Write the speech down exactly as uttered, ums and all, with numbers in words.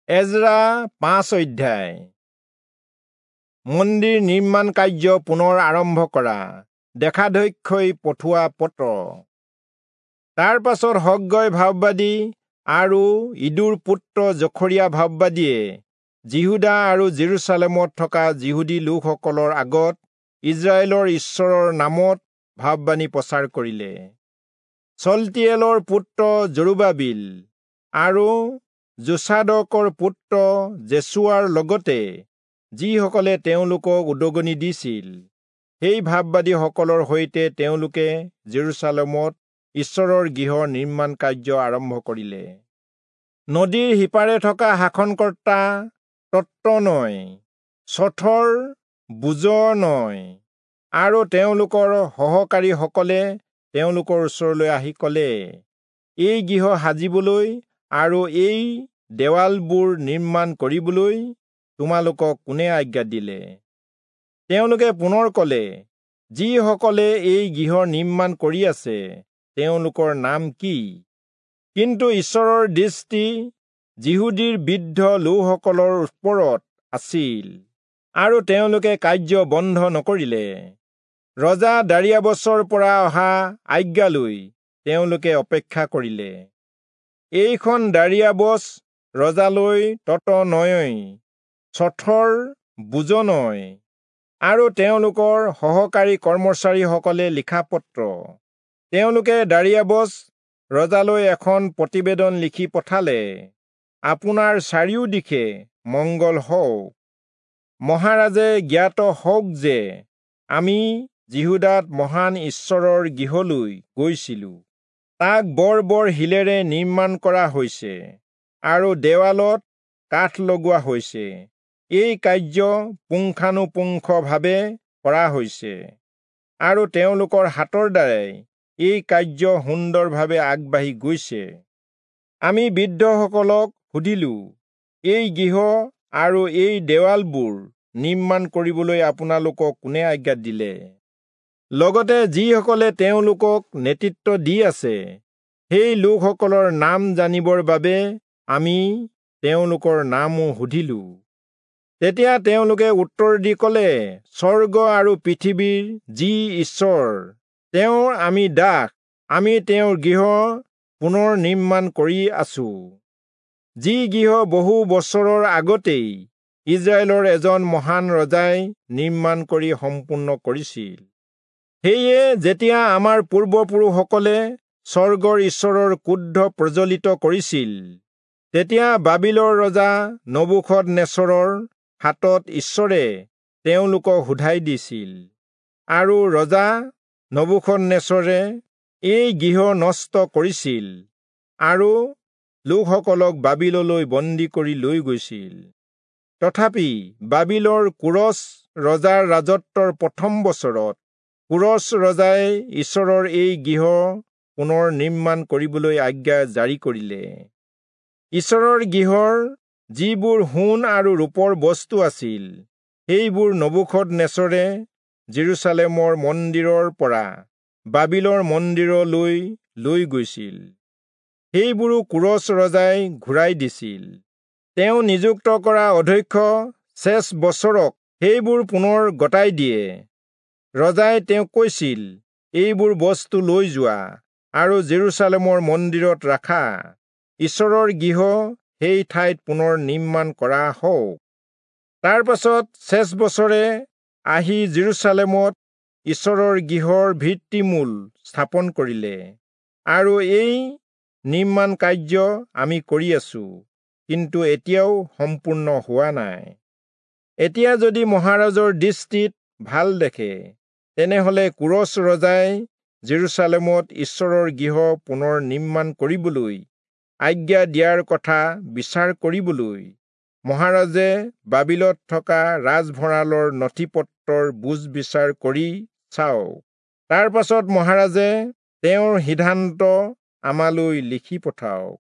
এজৰা পাঁচ অধ্যায়। মন্দিৰ নিৰ্মাণ কাৰ্য পুনৰ আৰম্ভ কৰা দেশাধ্যক্ষই পঠোৱা পত্ৰ। তাৰ পাছত হগ্গয় ভাববাদী আৰু ইদোৰ পুত্ৰ জখৰিয়া ভাববাদীয়ে যিহূদা আৰু জেৰুচালেমত থকা যিহূদী লোকসকলৰ আগত ইস্ৰায়েলৰ ঈশ্বৰৰ নামত ভাববাণী প্ৰচাৰ কৰিলে। চল্টীয়েলৰ পুত্ৰ জৰুবাবিল আৰু যোচাদকৰ পুত্ৰ যেচুৱাৰ লগতে যিসকলে তেওঁলোকক উদগনি দিছিল, সেই ভাববাদীসকলৰ সৈতে তেওঁলোকে জেৰুচালেমত ঈশ্বৰৰ গৃহ নিৰ্মাণ কাৰ্য আৰম্ভ কৰিলে। নদীৰ সিপাৰে থকা শাসনকৰ্তা তত্তনয়, চথৰ-বোজনয় আৰু তেওঁলোকৰ সহকাৰীসকলে তেওঁলোকৰ ওচৰলৈ আহি ক'লে, এই গৃহ সাজিবলৈ আৰু এই দেৱালবোৰ নিৰ্মাণ কৰিবলৈ তোমালোকক কোনে আজ্ঞা দিলে? তেওঁলোকে পুনৰ ক'লে, যিসকলে এই গৃহ নিৰ্মাণ কৰি আছে তেওঁলোকৰ নাম কি? কিন্তু ঈশ্বৰৰ দৃষ্টি যিহূদীৰ বৃদ্ধ লোকসকলৰ ওপৰত আছিল আৰু তেওঁলোকে কাৰ্য বন্ধ নকৰিলে। ৰজা দাৰিয়াবচৰ পৰা অহা আজ্ঞালৈ তেওঁলোকে অপেক্ষা কৰিলে। এইখন দাৰিয়াবচ ৰজালৈ তত্তনয়, চথৰ-বোজনয় আৰু তেওঁলোকৰ সহকাৰী কৰ্মচাৰীসকলে লিখা পত্ৰ। তেওঁলোকে দাৰিয়াবচ ৰজালৈ এখন প্ৰতিবেদন লিখি পঠালে, আপোনাৰ চাৰিওদিশে মংগল হওক। মহাৰাজে জ্ঞাত হওক যে আমি যিহূদাত মহান ঈশ্বৰৰ গৃহলৈ গৈছিলো। তাক বৰ বৰ শিলেৰে নিৰ্মাণ কৰা হৈছে আৰু দেৱালত কাঠ লগোৱা হৈছে। এই কাৰ্য পুংখানুপুংখভাৱে কৰা হৈছে আৰু তেওঁলোকৰ হাতৰ দ্বাৰাই এই কাৰ্য সুন্দৰভাৱে আগবাঢ়ি গৈছে। আমি বৃদ্ধসকলক সুধিলো, এই গৃহ আৰু এই দেৱালবোৰ নিৰ্মাণ কৰিবলৈ আপোনালোকক কোনে আজ্ঞা দিলে? লগতে যিসকলে তেওঁলোকক নেতৃত্ব দি আছে, সেই লোকসকলৰ নাম জানিবৰ বাবে আমি তেওঁলোকৰ নামো সুধিলো। তেতিয়া তেওঁলোকে উত্তৰ দি ক'লে, স্বৰ্গ আৰু পৃথিৱীৰ যি ঈশ্বৰ, তেওঁৰ আমি দাস, আমি তেওঁৰ গৃহ পুনৰ নিৰ্মাণ কৰি আছো, যি গৃহ বহু বছৰৰ আগতেই ইস্ৰায়েলৰ এজন মহান ৰজাই নিৰ্মাণ কৰি সম্পূৰ্ণ কৰিছিল। সেয়ে যেতিয়া আমাৰ পূৰ্বপুৰুষসকলে স্বৰ্গৰ ঈশ্বৰৰ ক্ৰোধ প্ৰজ্বলিত কৰিছিল, তেতিয়া বাবিলৰ ৰজা নবূখদনেচৰৰ হাতত ঈশ্বৰে তেওঁলোকক শোধাই দিছিল আৰু ৰজা নবূখদনেচৰে এই গৃহ নষ্ট কৰিছিল আৰু লোকসকলক বাবিললৈ বন্দী কৰি লৈ গৈছিল। তথাপি বাবিলৰ কোৰচ ৰজাৰ ৰাজত্বৰ প্ৰথম বছৰত কোৰচ ৰজাই ঈশ্বৰৰ এই গৃহ পুনৰ নিৰ্মাণ কৰিবলৈ আজ্ঞা জাৰি কৰিলে। ঈশ্বৰৰ গৃহৰ যিবোৰ সোণ আৰু ৰূপৰ বস্তু আছিল, সেইবোৰ নবূখদনেচৰে জেৰুচালেমৰ মন্দিৰৰ পৰা বাবিলৰ মন্দিৰলৈ লৈ গৈছিল। সেইবোৰো কোৰচ ৰজাই ঘূৰাই দিছিল। তেওঁ নিযুক্ত কৰা অধ্যক্ষ চেচবচৰক সেইবোৰ পুনৰ গতাই দিয়ে। ৰজাই তেওঁক কৈছিল, এইবোৰ বস্তু লৈ যোৱা আৰু জেৰুচালেমৰ মন্দিৰত ৰাখা, ঈশ্বৰৰ গৃহ সেই ঠাইত পুনৰ নিৰ্মাণ কৰা হওক। তাৰ পাছত চেচবচৰে আহি জেৰুচালেমত ঈশ্বৰৰ গৃহৰ ভিত্তিমূল স্থাপন কৰিলে আৰু এই নিৰ্মাণ কাৰ্য আমি কৰি আছো, কিন্তু এতিয়াও সম্পূৰ্ণ হোৱা নাই। এতিয়া যদি মহাৰাজৰ দৃষ্টিত ভাল দেখে, তেনেহলে কোৰচ ৰজাই জেৰুচালেমত ঈশ্বৰৰ গৃহ পুনৰ নিৰ্মাণ কৰিবলৈ আজ্ঞা দিয়াৰ কথা বিচাৰ কৰিবলৈ মহাৰাজে বাবিলত থকা ৰাজভঁৰালৰ নথি-পত্ৰৰ বুজ বিচাৰ কৰি চাওক। তাৰ পাছত মহাৰাজে তেওঁৰ সিদ্ধান্ত আমালৈ লিখি পঠাওক।